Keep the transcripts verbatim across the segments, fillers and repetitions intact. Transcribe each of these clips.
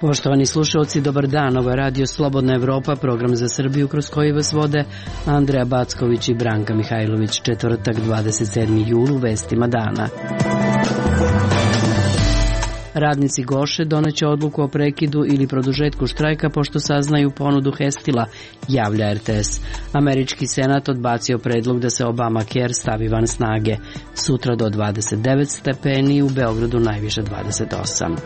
Poštovani slušalci, dobar dan. Ovo je Radio Slobodna Evropa, program za Srbiju kroz koji vas vode Andreja Backović i Branka Mihajlović. Četvrtak, dvadeset sedmi jul, u vestima dana. Radnici Goše doneće odluku o prekidu ili produžetku štrajka pošto saznaju ponudu Hestila, javlja R T S. Američki senat odbacio predlog da se Obamacare stavi van snage. Sutra do dvadeset devet stepeni, u Beogradu najviše dvadeset osam.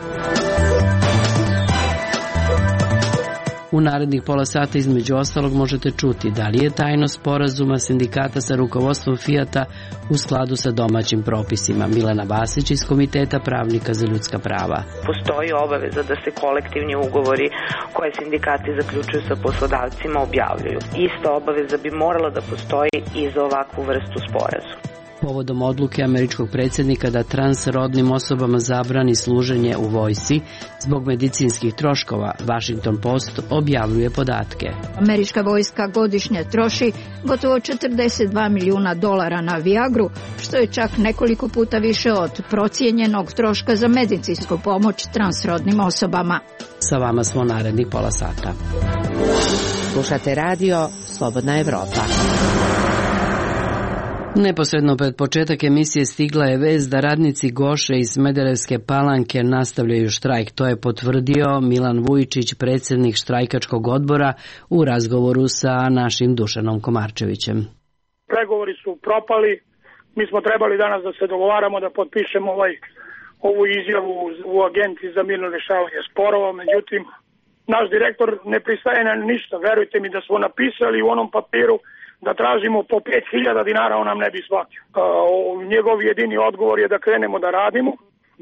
U narednih pola sata između ostalog možete čuti da li je tajnost sporazuma sindikata sa rukovodstvom Fijata u skladu sa domaćim propisima. Milena Vasić iz Komiteta pravnika za ljudska prava. Postoji obaveza da se kolektivni ugovori koje sindikati zaključuju sa poslodavcima objavljuju. Ista obaveza bi morala da postoji i za ovakvu vrstu sporazuma. Povodom odluke američkog predsjednika da transrodnim osobama zabrani služenje u vojsci zbog medicinskih troškova, Washington Post objavljuje podatke. Američka vojska godišnje troši gotovo četrdeset dva milijuna dolara na Viagru, što je čak nekoliko puta više od procijenjenog troška za medicinsku pomoć transrodnim osobama. Sa vama smo narednih pola sata. Slušate radio Slobodna Evropa. Neposredno pred početak emisije stigla je vest da radnici Goše iz Smederevske Palanke nastavljaju štrajk. To je potvrdio Milan Vujčić, predsjednik štrajkačkog odbora, u razgovoru sa našim Dušanom Komarčevićem. Pregovori su propali. Mi smo trebali danas da se dogovaramo da potpišemo ovaj, ovu izjavu u Agenciji za mirno rješavanje sporova. Međutim, naš direktor ne pristaje na ništa. Verujte mi da smo napisali u onom papiru da tražimo po pet hiljada dinara, on nam ne bi shvatio. Njegov jedini odgovor je da krenemo da radimo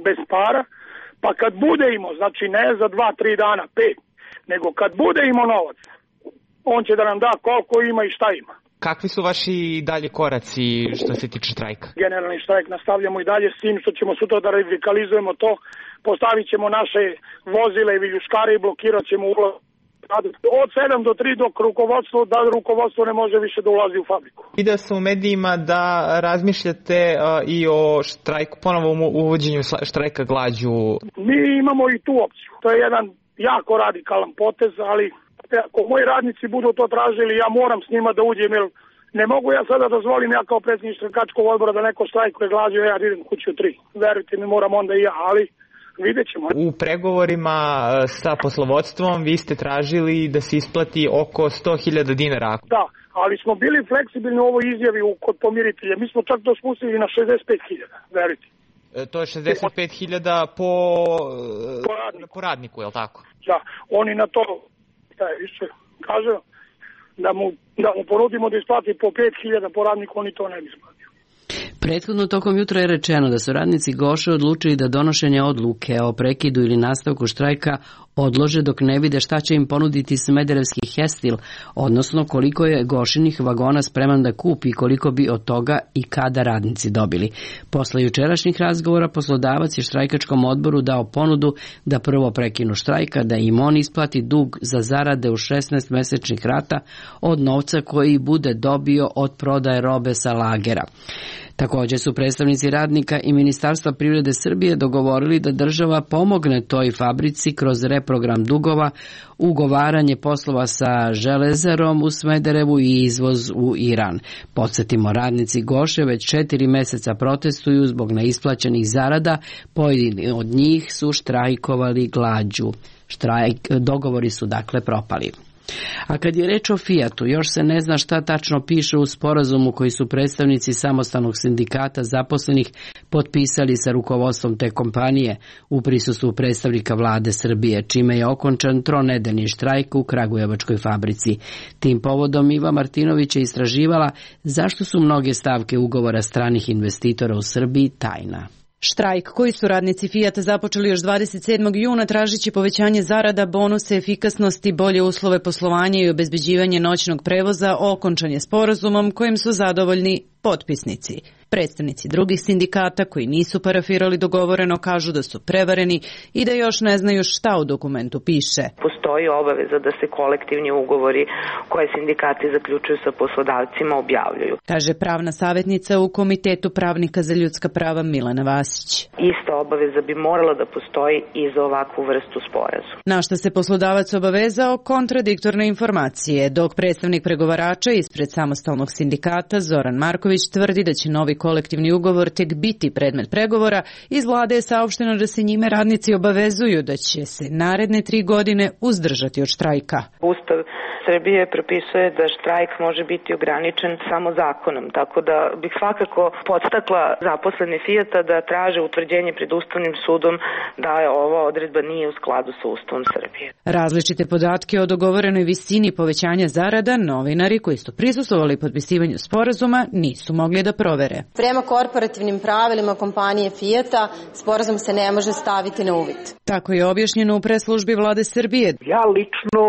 bez para, pa kad bude imao, znači ne za dva, tri dana, pet, nego kad bude imao novac, on će da nam da koliko ima i šta ima. Kakvi su vaši dalje koraci što se tiče štrajka? Generalni štrajk nastavljamo i dalje s tim što ćemo sutra da radikalizujemo to, postavit ćemo naše vozile i viljuškare i blokirat ćemo ulaz od sedam do tri dok rukovodstvo, da rukovodstvo ne može više da ulazi u fabriku. Vidio sam u medijima da razmišljate uh, i o štrajku, ponovom uvođenju štrajka glađu. Mi imamo i tu opciju. To je jedan jako radikalan potez, ali ako moji radnici budu to tražili, ja moram s njima da uđem, jer ne mogu ja sada dozvolim ja kao predsjednik štrajkačkog odbora da neko štrajkuje glađu, ja idem kuću tri. Verujte mi, moram onda i ja, ali vidjet ćemo. U pregovorima sa poslovodstvom vi ste tražili da se isplati oko sto hiljada dinara. Da, ali smo bili fleksibilni u ovoj izjavi kod pomiritelja. Mi smo čak to spustili na šezdeset pet hiljada, verujte. E, to je šezdeset pet hiljada po, po, radniku. po radniku, je li tako? Da, oni na to, da je više, kažu, da mu, da mu ponudimo da isplati po pet hiljada po radniku, oni to ne bi isplatio. Prethodno tokom jutra je rečeno da su radnici Goše odlučili da donošenje odluke o prekidu ili nastavku štrajka odlože dok ne vide šta će im ponuditi smederevski Hestil, odnosno koliko je Gošinih vagona spreman da kupi i koliko bi od toga i kada radnici dobili. Posle jučerašnjih razgovora poslodavac je štrajkačkom odboru dao ponudu da prvo prekinu štrajka, da im on isplati dug za zarade u šesnaest mesečnih rata od novca koji bude dobio od prodaje robe sa lagera. Također su predstavnici radnika i Ministarstva privrede Srbije dogovorili da država pomogne toj fabrici kroz reprogram dugova, ugovaranje poslova sa Železarom u Smederevu i izvoz u Iran. Podsjetimo, radnici Goše već četiri meseca protestuju zbog neisplaćenih zarada, pojedini od njih su štrajkovali glađu. Štrajk, dogovori su dakle propali. A kad je reč o Fijatu, još se ne zna šta tačno piše u sporazumu koji su predstavnici samostalnog sindikata zaposlenih potpisali sa rukovodstvom te kompanije u prisustvu predstavnika vlade Srbije, čime je okončan tronedeljni štrajk u kragujevačkoj fabrici. Tim povodom Iva Martinović je istraživala zašto su mnoge stavke ugovora stranih investitora u Srbiji tajna. Štrajk koji su radnici Fijata započeli još dvadeset sedmog juna tražići povećanje zarada, bonuse, efikasnosti, bolje uslove poslovanja i obezbeđivanje noćnog prevoza okončan je sporazumom kojim su zadovoljni potpisnici. Predstavnici drugih sindikata koji nisu parafirali dogovoreno kažu da su prevareni i da još ne znaju šta u dokumentu piše. Postoji obaveza da se kolektivni ugovori koje sindikati zaključuju sa poslodavcima objavljuju, kaže pravna savjetnica u Komitetu pravnika za ljudska prava Milana Vasić. Ista obaveza bi morala da postoji i za ovakvu vrstu sporazuma. Na što se poslodavac obavezao kontradiktorne informacije, dok predstavnik pregovarača ispred samostalnog sindikata Zoran Marković tvrdi da će novi kolektivni ugovor tek biti predmet pregovora, iz vlade je saopšteno da se njime radnici obavezuju da će se naredne tri godine uzdržati od štrajka. Ustav Srbije propisuje da štrajk može biti ograničen samo zakonom, tako da bih svakako podstakla zaposlene Fijata da traže utvrđenje pred Ustavnim sudom da je ova odredba nije u skladu sa Ustavom Srbije. Različite podatke o dogovorenoj visini povećanja zarada novinari koji su prisustvovali potpisivanju sporazuma nisu mogli da provere. Prema korporativnim pravilima kompanije Fijata sporazum se ne može staviti na uvid. Tako je objašnjeno u preslužbi vlade Srbije. Ja lično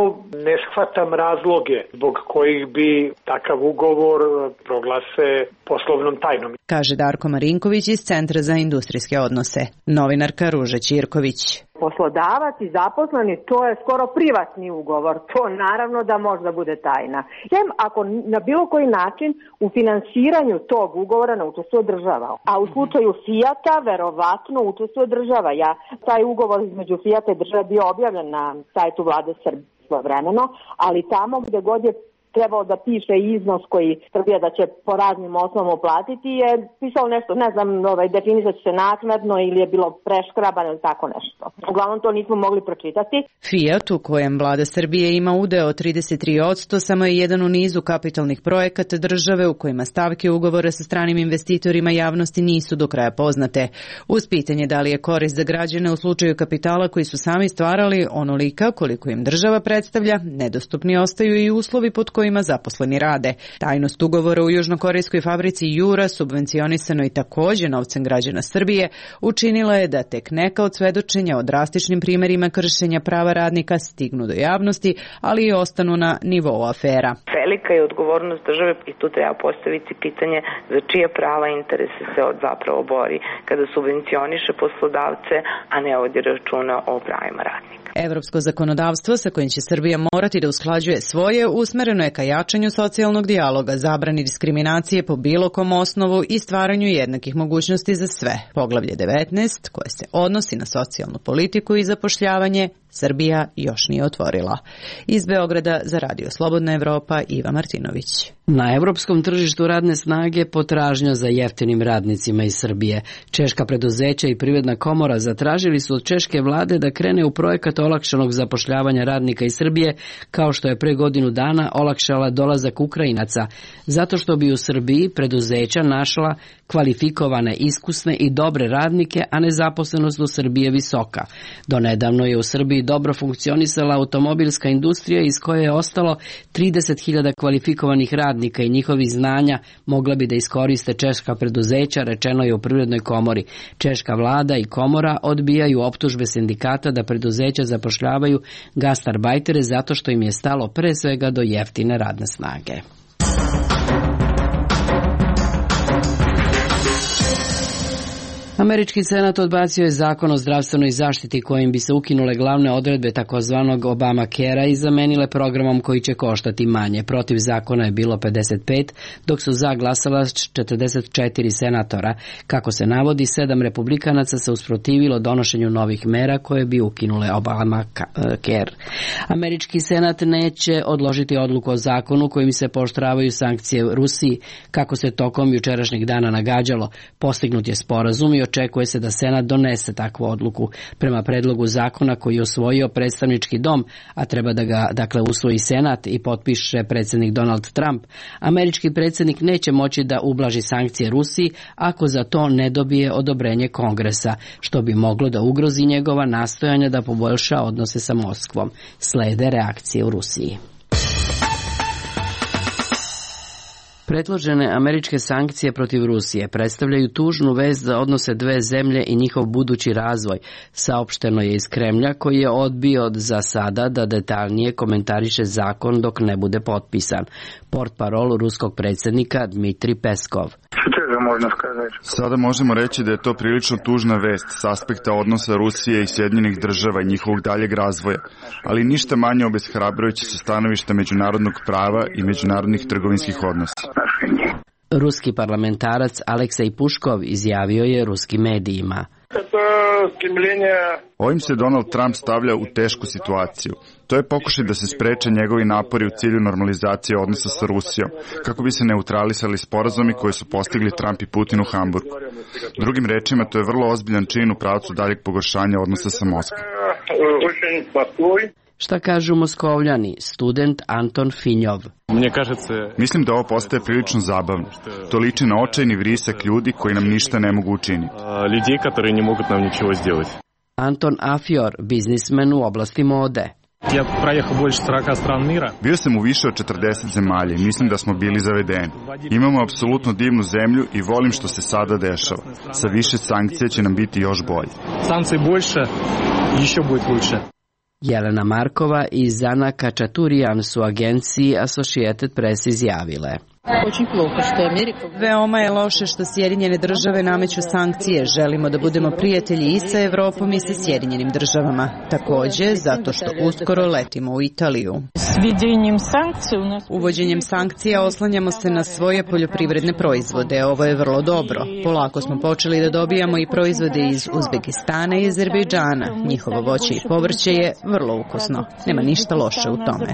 ne shvatam razloge zbog kojih bi takav ugovor proglase poslovnom tajnom, kaže Darko Marinković iz Centra za industrijske odnose. Novinarka Ruža Ćirković. Poslodavac i zaposleni, to je skoro privatni ugovor, to naravno da može da bude tajna. Sem ako na bilo koji način u finansiranju tog ugovora ne učestvuje država. A u slučaju Fijata verovatno učestvuje država. Ja, taj ugovor između Fijata i države bio objavljen na sajtu vlade Srbije vremeno, ali tamo gde god je trebao da piše iznos koji Srbija da će po raznim osnovama platiti je pisalo nešto, ne znam, ovaj, definisat će se naknadno ili je bilo preškrabano ili tako nešto. Uglavnom to nismo mogli pročitati. Fiat, u kojem vlada Srbije ima udeo od trideset tri posto, samo je jedan u nizu kapitalnih projekata države u kojima stavke ugovora sa stranim investitorima javnosti nisu do kraja poznate. Uz pitanje da li je korist za građane u slučaju kapitala koji su sami stvarali onolika koliko im država predstavlja, nedostupni ostaju i uslovi pod kojima zaposleni rade. Tajnost ugovora u južnokorejskoj fabrici Jura, subvencionisanoj takođe novcem građana Srbije, učinila je da tek neka od svedočenja o drastičnim primerima kršenja prava radnika stignu do javnosti, ali i ostanu na nivou afera. Velika je odgovornost države i tu treba postaviti pitanje za čije prava interese se od zapravo bori kada subvencioniše poslodavce, a ne vodi računa o pravima radnika. Evropsko zakonodavstvo sa kojim će Srbija morati da usklađuje svoje usmereno je ka jačanju socijalnog dijaloga, zabrani diskriminacije po bilo kom osnovu i stvaranju jednakih mogućnosti za sve. Poglavlje devetnaest, koje se odnosi na socijalnu politiku i zapošljavanje, Srbija još nije otvorila. Iz Beograda za Radio Slobodna Evropa, Iva Martinović. Na evropskom tržištu radne snage potražnja za jeftinim radnicima iz Srbije. Češka preduzeća i Privredna komora zatražili su od češke vlade da krene u projekat olakšanog zapošljavanja radnika iz Srbije, kao što je pre godinu dana olakšala dolazak Ukrajinaca, zato što bi u Srbiji preduzeća našla kvalifikovane, iskusne i dobre radnike, a nezaposlenost u Srbiji je visoka. Donedavno je u Srbiji dobro funkcionisala automobilska industrija iz koje je ostalo trideset hiljada kvalifikovanih radnika i njihovih znanja mogla bi da iskoriste češka preduzeća, rečeno je u Privrednoj komori. Češka vlada i komora odbijaju optužbe sindikata da preduzeća zapošljavaju gastarbajtere zato što im je stalo pre svega do jeftine radne snage. Američki senat odbacio je zakon o zdravstvenoj zaštiti kojim bi se ukinule glavne odredbe takozvanog Obamacare-a i zamenile programom koji će koštati manje. Protiv zakona je bilo pedeset pet, dok su za glasala četrdeset četiri senatora. Kako se navodi, sedam republikanaca se usprotivilo donošenju novih mera koje bi ukinule Obamacare. Američki senat neće odložiti odluku o zakonu kojim se pooštravaju sankcije Rusiji, kako se tokom jučerašnjeg dana nagađalo. Postignut je sporazum i očekuje se da Senat donese takvu odluku. Prema predlogu zakona koji je osvojio predstavnički dom, a treba da ga dakle usvoji Senat i potpiše predsjednik Donald Trump, američki predsjednik neće moći da ublaži sankcije Rusiji ako za to ne dobije odobrenje Kongresa, što bi moglo da ugrozi njegova nastojanja da poboljša odnose sa Moskvom. Slede reakcije u Rusiji. Predložene američke sankcije protiv Rusije predstavljaju tužnu vest za odnose dve zemlje i njihov budući razvoj, saopšteno je iz Kremlja, koji je odbio za sada da detaljnije komentariše zakon dok ne bude potpisan. Portparol ruskog predsjednika Dmitrij Peskov. Sutra Sada možemo reći da je to prilično tužna vest s aspekta odnosa Rusije i Sjedinjenih država i njihovog daljeg razvoja, ali ništa manje obeshrabrujuće sa stanovišta međunarodnog prava i međunarodnih trgovinskih odnosa. Ruski parlamentarac Aleksej Puškov izjavio je ruskim medijima: Ovim se Donald Trump stavlja u tešku situaciju. To je pokušaj da se spreče njegovi napori u cilju normalizacije odnosa sa Rusijom, kako bi se neutralisali sporazumi koje su postigli Trump i Putin u Hamburgu. Drugim rečima, to je vrlo ozbiljan čin u pravcu daljeg pogoršanja odnosa sa Moskvom. Šta kažu Moskovljani, student Anton Finjov? Mislim da ovo postaje prilično zabavno. To liči na očajni vrisak ljudi koji nam ništa ne mogu učiniti. Anton Afjor, biznismen u oblasti mode. Bio sam u više od četrdeset zemalja i mislim da smo bili zavedeni. Imamo apsolutno divnu zemlju i volim što se sada dešava. Sa više sankcija će nam biti još bolje. Sankcije больше, еще будет лучше. Jelena Markova i Zana Kačaturijan su agenciji Associated Press izjavile: Veoma je loše što Sjedinjene države nameću sankcije. Želimo da budemo prijatelji i sa Evropom i sa Sjedinjenim državama. Takođe, zato što uskoro letimo u Italiju. Uvođenjem sankcija oslanjamo se na svoje poljoprivredne proizvode. Ovo je vrlo dobro. Polako smo počeli da dobijamo i proizvode iz Uzbekistana i Azerbejdžana. Njihovo voće i povrće je vrlo ukusno. Nema ništa loše u tome.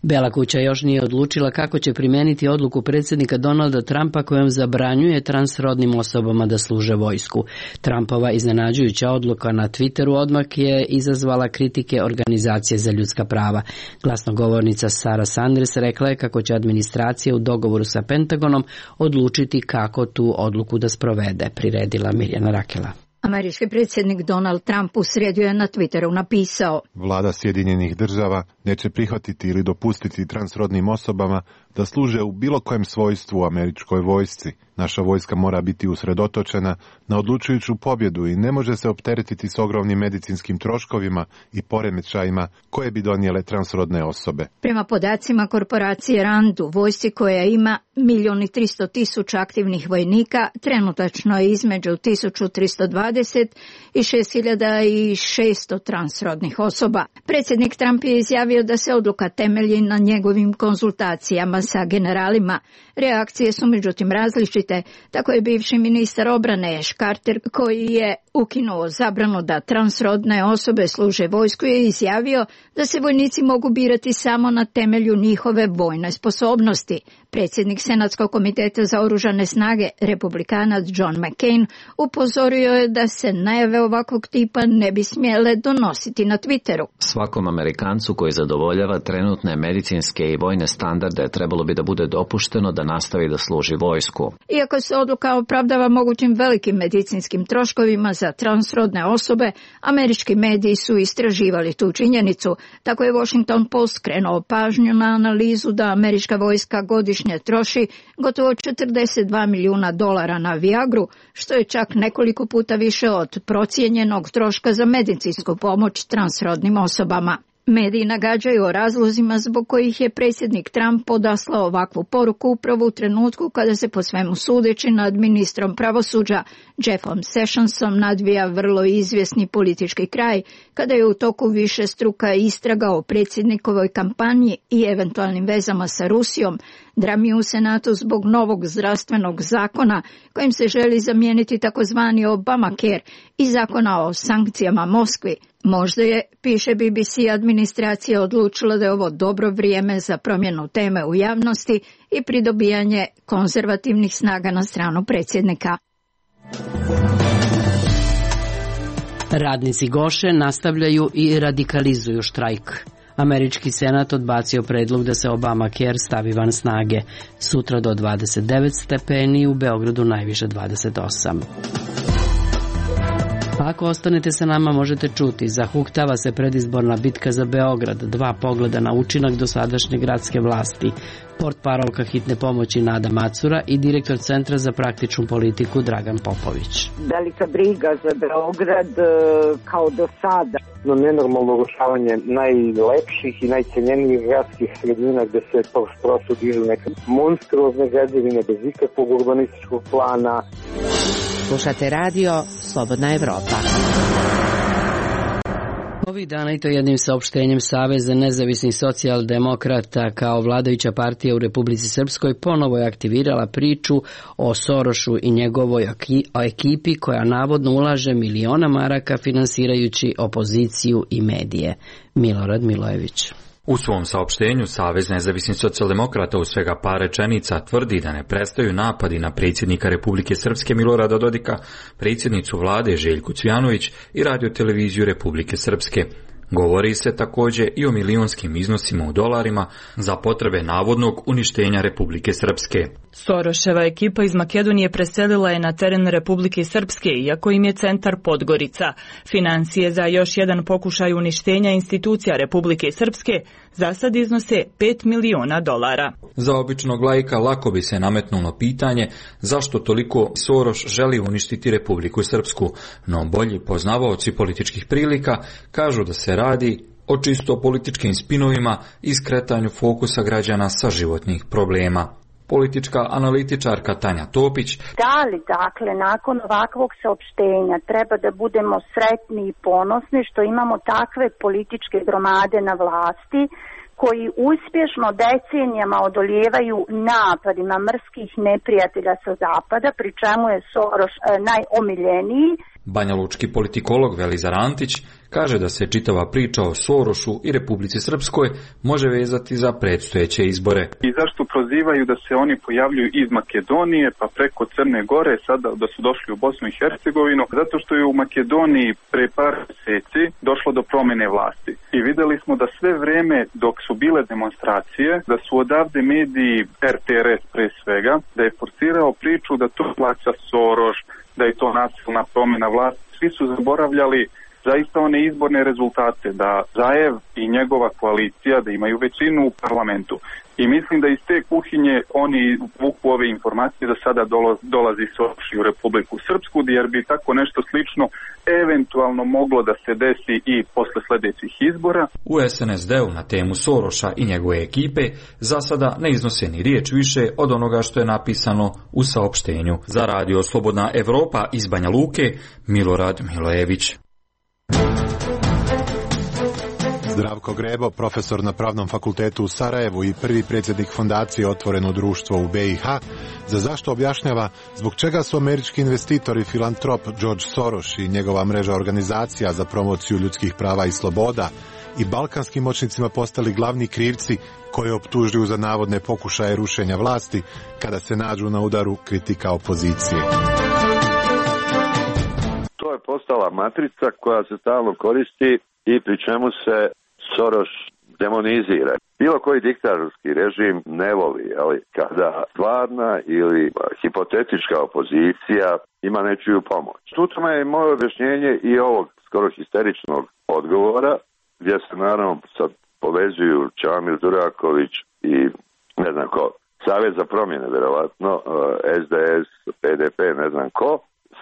Bela kuća još nije odlučila kako će primeniti odluku predsjednika Donalda Trumpa kojom zabranjuje transrodnim osobama da služe vojsku. Trumpova iznenađujuća odluka na Twitteru odmah je izazvala kritike Organizacije za ljudska prava. Glasnogovornica Sarah Sanders rekla je kako će administracija u dogovoru sa Pentagonom odlučiti kako tu odluku da sprovede, priredila Mirjana Rakela. Američki predsjednik Donald Trump u srijedu je na Twitteru napisao: Vlada Sjedinjenih država neće prihvatiti ili dopustiti transrodnim osobama da služe u bilo kojem svojstvu u američkoj vojsci. Naša vojska mora biti usredotočena na odlučujuću pobjedu i ne može se opteretiti s ogromnim medicinskim troškovima i poremećajima koje bi donijele transrodne osobe. Prema podacima korporacije Rand, u vojsci koja ima milion i tristo tisuća aktivnih vojnika, trenutačno je između tisuću tristo dvadeset i šest hiljada šesto transrodnih osoba. Predsjednik Trump je izjavio da se odluka temelji na njegovim konzultacijama sa generalima. Reakcije su međutim različite. Tako je bivši ministar obrane Ash Carter, koji je ukinuo zabranu da transrodne osobe služe vojsku, je izjavio da se vojnici mogu birati samo na temelju njihove vojne sposobnosti. Predsjednik Senatskog komiteta za oružane snage, republikanac John McCain, upozorio je da se najave ovakvog tipa ne bi smjele donositi na Twitteru. Svakom Amerikancu koji zadovoljava trenutne medicinske i vojne standarde trebalo bi da bude dopušteno da nastavi da služi vojsku. Iako se odluka opravdava mogućim velikim medicinskim troškovima za transrodne osobe, američki mediji su istraživali tu činjenicu. Tako je Washington Post krenuo pažnju na analizu da američka vojska godišnje troši gotovo četrdeset dva milijuna dolara na Viagru, što je čak nekoliko puta više od procijenjenog troška za medicinsku pomoć transrodnim osobama. Mediji nagađaju o razlozima zbog kojih je predsjednik Trump podaslao ovakvu poruku upravo u trenutku kada se po svemu sudeći nad ministrom pravosuđa Jeffom Sessionsom nadvija vrlo izvjesni politički kraj, kada je u toku više struka istraga o predsjednikovoj kampanji i eventualnim vezama sa Rusijom, drami u Senatu zbog novog zdravstvenog zakona kojim se želi zamijeniti takozvani Obamacare i zakona o sankcijama Moskvi. Možda je, piše B B C, administracija odlučila da je ovo dobro vrijeme za promjenu teme u javnosti i pridobijanje konzervativnih snaga na stranu predsjednika. Radnici Goše nastavljaju i radikalizuju štrajk. Američki senat odbacio predlog da se Obamacare stavi van snage. Sutra do dvadeset devet stepeni, u Beogradu najviše dvadeset osam. Ako ostanete sa nama možete čuti, zahuktava se predizborna bitka za Beograd, dva pogleda na učinak dosadašnje gradske vlasti, portparolka hitne pomoći Nada Macura i direktor Centra za praktičnu politiku Dragan Popović. Velika briga za Beograd kao do sada. No, nenormalno urušavanje najlepših i najcenjenijih gradskih sredina gde se prosto dižu neke monstruozne građevine bez ikakvog urbanističkog plana. Slušate radio Slobodna Evropa. Ovih dana i to jednim saopštenjem Saveza nezavisnih socijaldemokrata kao vladajuća partija u Republici Srpskoj ponovo je aktivirala priču o Sorošu i njegovoj ekipi koja navodno ulaže miliona maraka finansirajući opoziciju i medije. Milorad Milojević. U svom saopštenju Savez nezavisnih socijaldemokrata u svega par rečenica tvrdi da ne prestaju napadi na predsjednika Republike Srpske Milorada Dodika, predsjednicu vlade Željku Cvijanović i radioteleviziju Republike Srpske. Govori se također i o milionskim iznosima u dolarima za potrebe navodnog uništenja Republike Srpske. Soroševa ekipa iz Makedonije preselila je na teren Republike Srpske, iako im je centar Podgorica. Financije za još jedan pokušaj uništenja institucija Republike Srpske za sad iznose pet miliona dolara. Za običnog laika lako bi se nametnulo pitanje zašto toliko Soroš želi uništiti Republiku Srpsku, no bolji poznavaoci političkih prilika kažu da se radi o čisto političkim spinovima i skretanju fokusa građana sa životnih problema. Politička analitičarka Tanja Topić. Da li, dakle, nakon ovakvog saopštenja treba da budemo sretni i ponosni što imamo takve političke gromade na vlasti koji uspješno decenijama odolijevaju napadima mrskih neprijatelja sa zapada, pri čemu je Soroš e, najomiljeniji. Banjalučki politikolog Velizar Antić kaže da se čitava priča o Sorošu i Republici Srpskoj može vezati za predstojeće izbore. I zašto prozivaju da se oni pojavljuju iz Makedonije pa preko Crne Gore, sada da su došli u Bosnu i Hercegovinu? Zato što je u Makedoniji pre par mjeseci došlo do promjene vlasti. I vidjeli smo da sve vrijeme dok su bile demonstracije, da su odavde mediji R T R S pre svega, da je forsirao priču da to plaća Soroš, da je to nasilna promjena vlasti. Svi su zaboravljali zaista one izborne rezultate, da Zaev i njegova koalicija da imaju većinu u parlamentu. I mislim da iz te kuhinje oni vuku ove informacije da sada dolazi Soroš u Republiku Srpsku, jer bi tako nešto slično eventualno moglo da se desi i posle sljedećih izbora. U S N S D-u na temu Soroša i njegove ekipe za sada ne iznose ni riječ više od onoga što je napisano u saopštenju. Za radio Slobodna Evropa iz Banja Luke, Milorad Milojević. Zdravko Grebo, profesor na Pravnom fakultetu u Sarajevu i prvi predsjednik fondacije Otvoreno društvo u B i H, za zašto objašnjava zbog čega su američki investitor i filantrop George Soros i njegova mreža organizacija za promociju ljudskih prava i sloboda i balkanskim moćnicima postali glavni krivci koje optužuju za navodne pokušaje rušenja vlasti kada se nađu na udaru kritika opozicije. To je postala matrica koja se stalno koristi i pri čemu se Soros demonizira. Bilo koji diktatorski režim ne voli, ali kada stvarna ili hipotetička opozicija ima nečiju pomoć. Tu tome je moje objašnjenje i ovog skoro histeričnog odgovora, gdje se naravno sad povezuju Čamil Duraković i ne znam ko, Savez za promjene, verovatno, S D S, P D P, ne znam ko,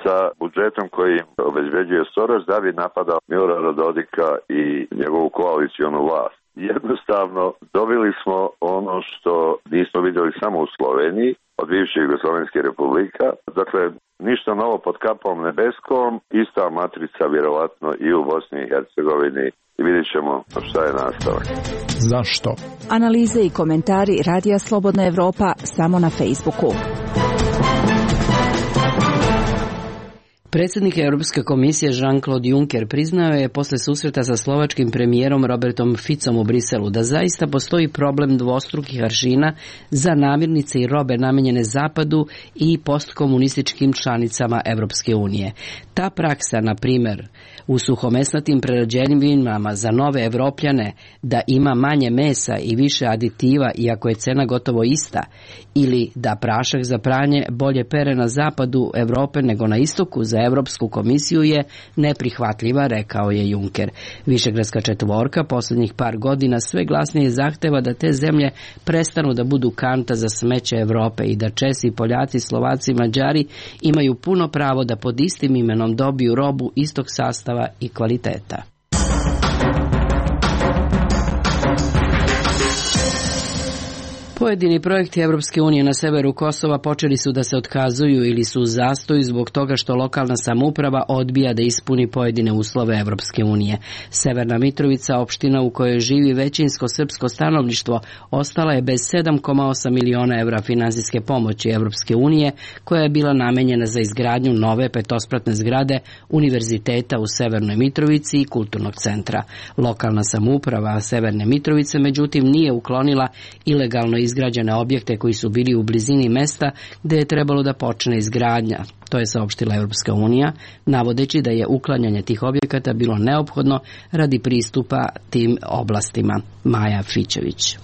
sa budžetom koji obezbeđuje Soros da bi napadao Milorada Dodika i njegovu koalicionu vlast. Jednostavno, dobili smo ono što nismo vidjeli samo u Sloveniji, od bivših Jugoslovenskih republika. Dakle, ništa novo pod kapom nebeskom, ista matrica vjerovatno i u Bosni i Hercegovini. I vidjet ćemo šta je nastavak. Zašto? Analize i komentari Radija Slobodna Evropa samo na Facebooku. Predsjednik Europske komisije Jean-Claude Juncker priznao je posle susreta sa slovačkim premijerom Robertom Ficom u Briselu da zaista postoji problem dvostrukih aršina za namirnice i robe namenjene Zapadu i postkomunističkim članicama Europske unije. Ta praksa, na primjer, u suhomesnatim prerađevinama za nove Evropljane da ima manje mesa i više aditiva iako je cena gotovo ista, ili da prašak za pranje bolje pere na zapadu Europe nego na istoku za Evropsku komisiju je neprihvatljiva, rekao je Juncker. Višegradska četvorka posljednjih par godina sve glasnije zahteva da te zemlje prestanu da budu kanta za smeće Evrope i da Česi, Poljaci, Slovaci i Mađari imaju puno pravo da pod istim imenom dobiju robu istog sastava i kvaliteta. Pojedini projekti Evropske unije na severu Kosova počeli su da se otkazuju ili su u zastoju zbog toga što lokalna samouprava odbija da ispuni pojedine uslove Evropske unije. Severna Mitrovica, opština u kojoj živi većinsko srpsko stanovništvo, ostala je bez sedam zarez osam miliona evra finansijske pomoći Evropske unije, koja je bila namenjena za izgradnju nove petospratne zgrade Univerziteta u Severnoj Mitrovici i kulturnog centra. Lokalna samouprava Severne Mitrovice, međutim, nije uklonila ilegalno izgrađene objekte koji su bili u blizini mesta gde je trebalo da počne izgradnja. To je saopštila Evropska unija, navodeći da je uklanjanje tih objekata bilo neophodno radi pristupa tim oblastima. Maja Fićević.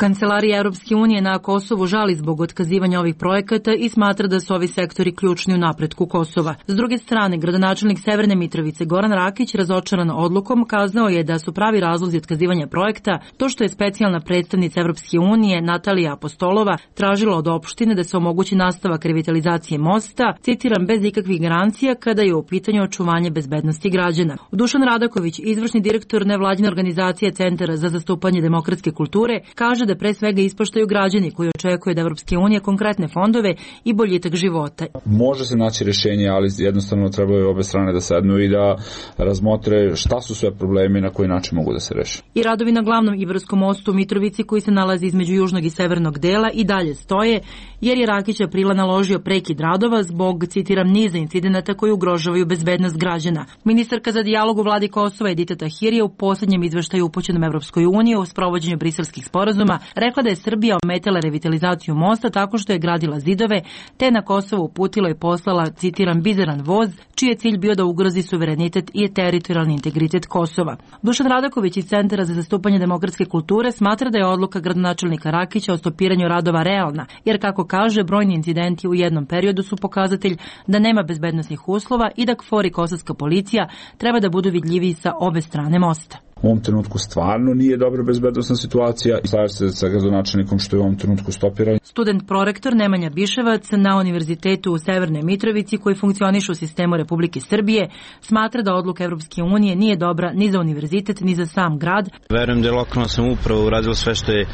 Kancelarija Europske unije na Kosovu žali zbog otkazivanja ovih projekata i smatra da su ovi sektori ključni u napretku Kosova. S druge strane, gradonačelnik Severne Mitrovice Goran Rakić, razočaran odlukom, kazao je da su pravi razlozi otkazivanja projekta to što je specijalna predstavnica Europske unije Natalija Apostolova tražila od opštine da se omogući nastavak revitalizacije mosta, citiram, bez ikakvih garancija kada je u pitanju očuvanje bezbednosti građana. Dušan Radaković, izvršni direktor nevladine organizacije Centara za zastupanje demokratske kulture, kaže da pre svega ispoštaju građani koji očekuju da Evropske unije konkretne fondove i boljitak života. Može se naći rješenje, ali jednostavno trebaju obe strane da sednu i da razmotre šta su sve problemi i na koji način mogu da se reše. I radovi na glavnom Ibarskom mostu u Mitrovici, koji se nalazi između južnog i severnog dela, i dalje stoje, jer je Rakić aprila naložio prekid radova zbog, citiram, niza incidenata koji ugrožavaju bezbednost građana. Ministarka za dijalog u vladi Kosova Edita Tahir je u posljednjem izveštaju upućenom Evropskoj uniji o sprovođenju briselskih sporazuma rekla da je Srbija ometala revitalizaciju mosta tako što je gradila zidove, te na Kosovo uputila i poslala, citiram, bizaran voz, čiji je cilj bio da ugrozi suverenitet i teritorijalni integritet Kosova. Dušan Radaković iz Centara za zastupanje demokratske kulture smatra da je odluka gradonačelnika Rakića o stopiranju radova realna, jer, kako kaže, brojni incidenti u jednom periodu su pokazatelj da nema bezbednosnih uslova i da KFOR i kosovska policija treba da budu vidljiviji sa obe strane mosta. U ovom trenutku stvarno nije dobra bezbednosna situacija i slažem se sa gradonačelnikom što je u ovom trenutku stopiran. Student prorektor Nemanja Biševac na Univerzitetu u Severnoj Mitrovici, koji funkcioniše u sistemu Republike Srbije, smatra da odluka Evropske unije nije dobra ni za univerzitet, ni za sam grad. Verujem da je lokalna samouprava uradila sve što je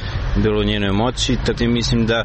bilo u njenoj moći, tako mislim da,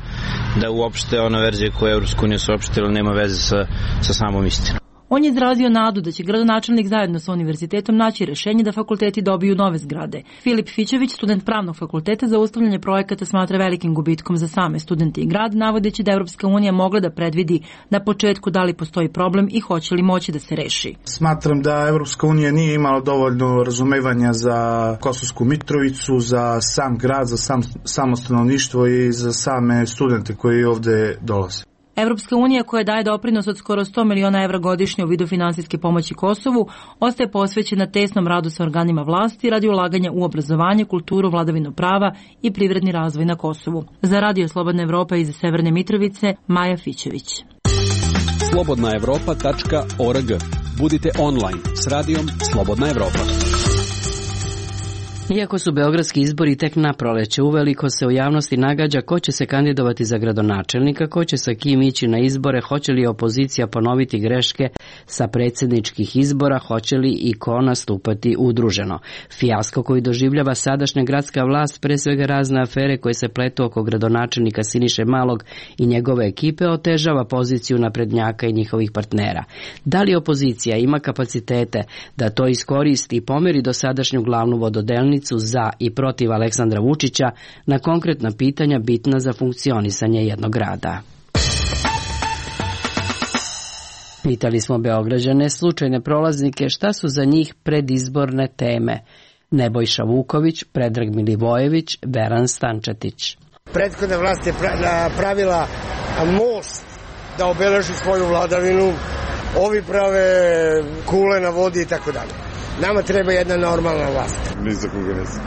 da uopšte ona verzija koju je Evropska unija saopštila nema veze sa, sa samom istinom. On je izrazio nadu da će gradonačelnik zajedno sa univerzitetom naći rešenje da fakulteti dobiju nove zgrade. Filip Fićević, student pravnog fakulteta, za ustavljanje projekata smatra velikim gubitkom za same studente i grad, navodeći da Evropska unija mogla da predvidi na početku da li postoji problem i hoće li moći da se reši. Smatram da Evropska unija nije imala dovoljno razumevanja za Kosovsku Mitrovicu, za sam grad, za sam, samo stanovništvo i za same studente koji ovde dolaze. Evropska unija, koja daje doprinos od skoro sto miliona evra godišnje u vidu finansijske pomoći Kosovu, ostaje posvećena tesnom radu sa organima vlasti radi ulaganja u obrazovanje, kulturu, vladavinu prava i privredni razvoj na Kosovu. Za Radio Slobodna Evropa iz Severne Mitrovice, Maja Fićević. slobodna evropa tačka org. Budite online s radijom Slobodna Evropa. Iako su beogradski izbori tek na proleće, uveliko se u javnosti nagađa ko će se kandidovati za gradonačelnika, ko će sa kim ići na izbore, hoće li opozicija ponoviti greške sa predsjedničkih izbora, hoće li i ko nastupati udruženo. Fijasko koji doživljava sadašnja gradska vlast, pre svega razne afere koje se pletu oko gradonačelnika Siniše Malog i njegove ekipe, otežava poziciju naprednjaka i njihovih partnera. Da li opozicija ima kapacitete da to iskoristi i pomeri dosadašnju glavnu vododelnicu za i protiv Aleksandra Vučića na konkretna pitanja bitna za funkcionisanje jednog grada? Pitali smo Beograđane, slučajne prolaznike, šta su za njih predizborne teme. Nebojša Vuković, Predrag Milivojević, Veran Stančetić. Prethodna vlast je pravila most da obeleži svoju vladavinu, ovi prave kule na vodi i tako dalje. Nama treba jedna normalna vlast. Ni za koga nisam.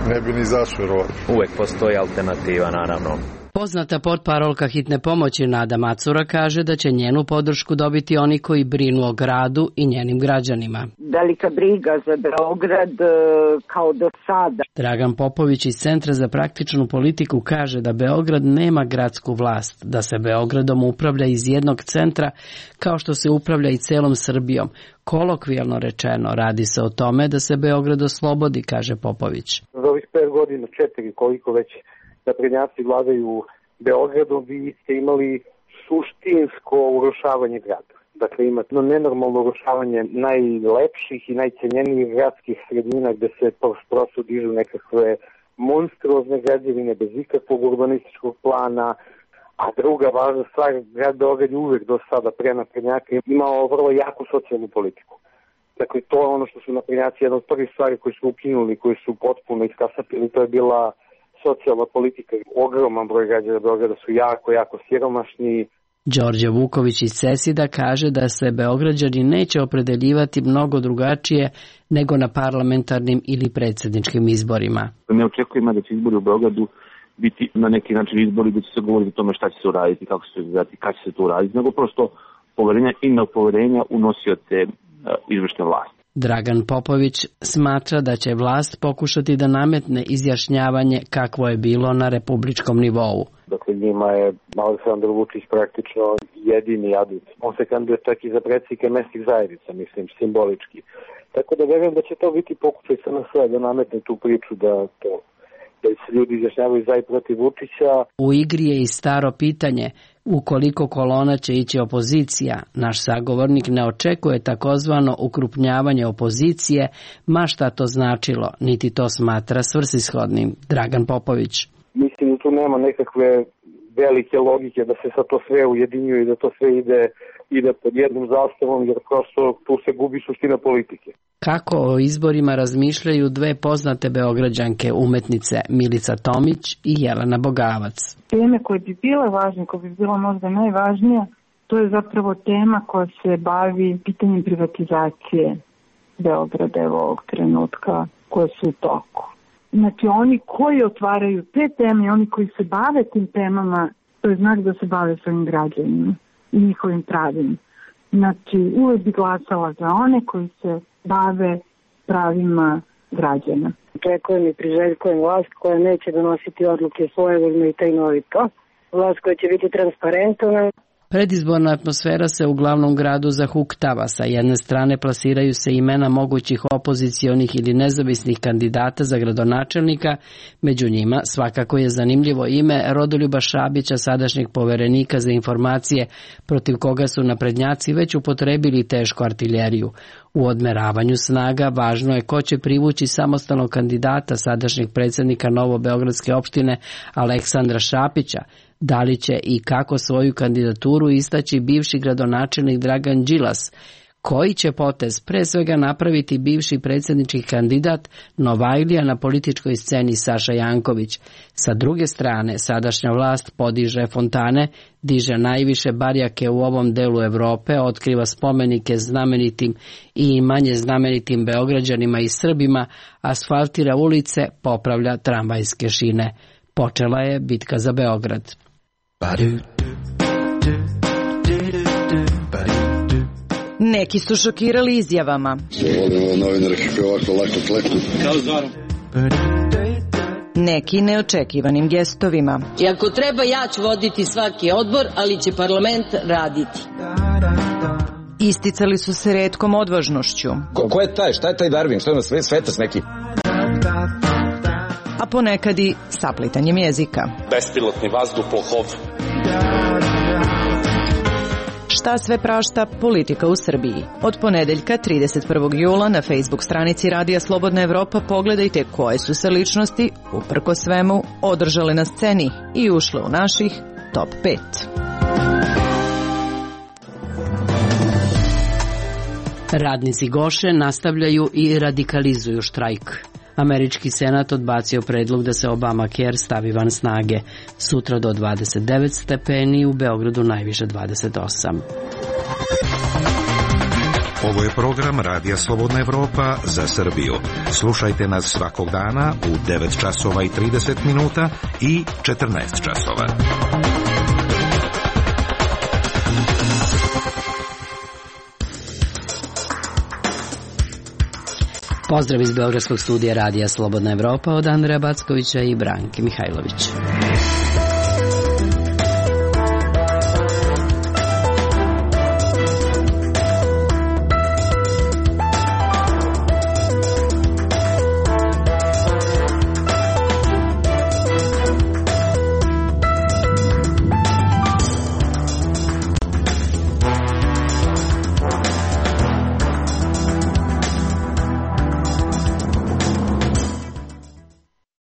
Ne bi ni zašao. Uvek postoji alternativa, naravno. Poznata portparolka hitne pomoći Nada Macura kaže da će njenu podršku dobiti oni koji brinu o gradu i njenim građanima. Velika briga za Beograd kao do sada. Dragan Popović iz Centra za praktičnu politiku kaže da Beograd nema gradsku vlast, da se Beogradom upravlja iz jednog centra kao što se upravlja i celom Srbijom. Kolokvijalno rečeno, radi se o tome da se Beograd oslobodi, kaže Popović. Za ovih pet godina, četiri, koliko već naprednjaci vladaju Beogradom, vi ste imali suštinsko urušavanje grada. Dakle, imate nenormalno urušavanje najlepših i najcenjenijih gradskih sredina gde se prosto dižu nekakve monstruozne građevine bez ikakvog urbanističkog plana, a druga važna stvar, grad Beograd je uvek do sada pre naprednjaka imao vrlo jaku socijalnu politiku. Dakle, to je ono što su naprednjaci, jedna od prvih stvari koji su ukinuli, koji su potpuno iskasapili, to je bila socijalna politika. Ogroman broj građana Beograda su jako, jako siromašni. Đorđe Vuković iz Cesida kaže da se Beograđani neće opredeljivati mnogo drugačije nego na parlamentarnim ili predsjedničkim izborima. Ne očekujemo da će izbori u Beogradu biti na neki način izbori gdje će se govoriti o tome šta će se uraditi, kako će se izgledati, kada će se to uraditi, nego prosto poverenja i nepoverenja u nosioce izvršne vlasti. Dragan Popović smatra da će vlast pokušati da nametne izjašnjavanje kakvo je bilo na republičkom nivou. Dakle, njima je Aleksandar Vučić praktično jedini adut. On se kandiduje čak i za predsjednike mesnih zajednica, mislim, simbolički. Tako da verujem da će to biti pokušaj sa nas da nametne tu priču da to da se ljudi izjašnjavaju za i protiv Vučića. U igri je i staro pitanje, ukoliko kolona će ići opozicija, naš sagovornik ne očekuje takozvano ukrupnjavanje opozicije, ma šta to značilo, niti to smatra svrsishodnim. Dragan Popović. Mislim da tu nema nekakve velike logike da se sa to sve ujedinjuje i da to sve ide, ide pod jednom zastavom, jer prosto tu se gubi suština politike. Kako o izborima razmišljaju dve poznate beograđanke umetnice Milica Tomić i Jelena Bogavac. Teme koje bi bile važne, koje bi bila možda najvažnija, to je zapravo tema koja se bavi pitanjem privatizacije Beograda evo ovog trenutka koje su u toku. Znači oni koji otvaraju te teme, oni koji se bave tim temama, to je znak da se bave svojim građanima i njihovim pravima. Znači uvek bi glasala za one koji se bave pravima građana. Očekujem i priželjkujem vlast koja neće donositi odluke svojevoljno i tajnovito. Vlast koja će biti transparentna. Predizborna atmosfera se u glavnom gradu zahuktava. Sa jedne strane plasiraju se imena mogućih opozicionih ili nezavisnih kandidata za gradonačelnika. Među njima svakako je zanimljivo ime Rodoljuba Šabića, sadašnjeg poverenika za informacije, protiv koga su naprednjaci već upotrebili tešku artiljeriju. U odmeravanju snaga važno je ko će privući samostalnog kandidata sadašnjeg predsjednika Novobeogradske opštine Aleksandra Šapića. Da li će i kako svoju kandidaturu istaći bivši gradonačelnik Dragan Đilas? Koji će potez pre svega napraviti bivši predsjednički kandidat Novajlija na političkoj sceni Saša Janković? Sa druge strane, sadašnja vlast podiže fontane, diže najviše barjake u ovom delu Evrope, otkriva spomenike znamenitim i manje znamenitim Beograđanima i Srbima, asfaltira ulice, popravlja tramvajske šine. Počela je bitka za Beograd. Neki su šokirali izjavama. Neki neočekivanim gestovima. I ako treba, ja ću voditi svaki odbor, ali će parlament raditi. Isticali su se retkom odvažnošću. Ko, ko je taj? Šta je taj Darwin? Šta je na svetac neki? A ponekad i saplitanjem jezika. Bespilotni vazduhoplov. Šta sve prašta politika u Srbiji? Od ponedeljka trideset prvog jula na Facebook stranici Radija Slobodna Evropa pogledajte koje su se ličnosti, uprko svemu, održale na sceni i ušle u naših top pet. Radnici Goše nastavljaju i radikalizuju štrajk. Američki senat odbacio predlog da se Obamacare stavi van snage. Sutra do dvadeset devet stepeni, u Beogradu najviše dvadeset osam. Ovo je program Radija Slobodna Evropa za Srbiju. Slušajte nas svakog dana u devet časova i trideset minuta i četrnaest časova. Pozdrav iz Beogradskog studija Radija Slobodna Evropa od Andreja Backovića i Branke Mihajlović.